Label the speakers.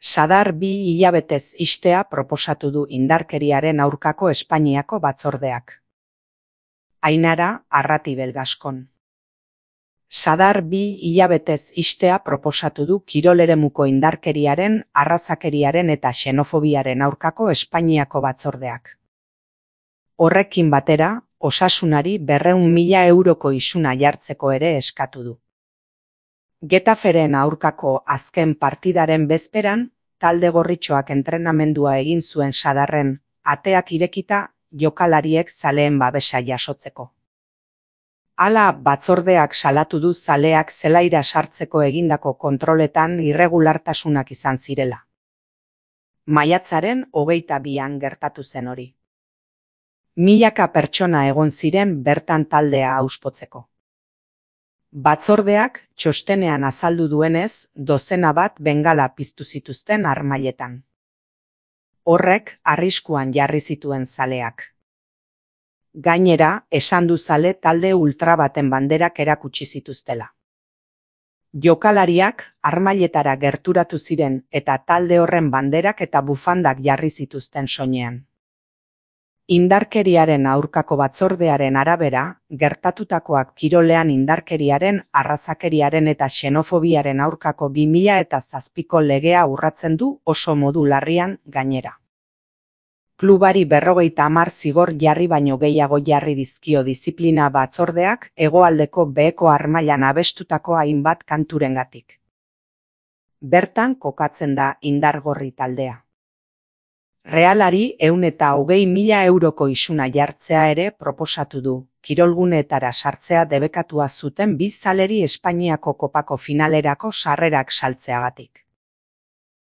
Speaker 1: Sadar 2 hilabetez ixtea proposatu du indarkeriaren aurkako Espainiako batzordeak. Ainara Arratibel Gaskon. Sadar 2 hilabetez ixtea proposatu du kiroleremuko indarkeriaren, arrazakeriaren eta xenofobiaren aurkako Espainiako batzordeak. Horrekin batera, osasunari 200.000 euroko isuna jartzeko ere eskatu du. Getaferen aurkako azken partidaren bezperan, talde gorritxoak entrenamendua egin zuen Sadarren, ateak irekita jokalariek zaleen babesa jasotzeko. Hala batzordeak salatu du zaleak zelaira sartzeko egindako kontroletan irregulartasunak izan zirela. Maiatzaren 22an gertatu zen hori. Milaka pertsona egon ziren bertan taldea auspotzeko. Batzordeak txostenean azaldu duenez, dozena bat bengala piztu zituzten harmailetan. Horrek arriskuan jarri zituen zaleak. Gainera, esan du zale talde ultra baten banderak erakutsi zituztela. Jokalariak harmailetara gerturatu ziren eta talde horren banderak eta bufandak jarri zituzten soinean. Indarkeriaren aurkako batzordearen arabera, gertatutakoak kirolean indarkeriaren, arrazakeriaren eta xenofobiaren aurkako 2007ko legea urratzen du oso modu larrian gainera. Klubari 50 zigor jarri baino gehiago jarri dizkio diziplina batzordeak hegoaldeko beheko harmailan abestutako hainbat kanturengatik. Bertan kokatzen da indargorri taldea. Realari 120.000 euroko isuna jartzea ere proposatu du, kirolguneetara sartzea debekatua zuten bi zaleri Espainiako kopako finalerako sarrerak saltzeagatik.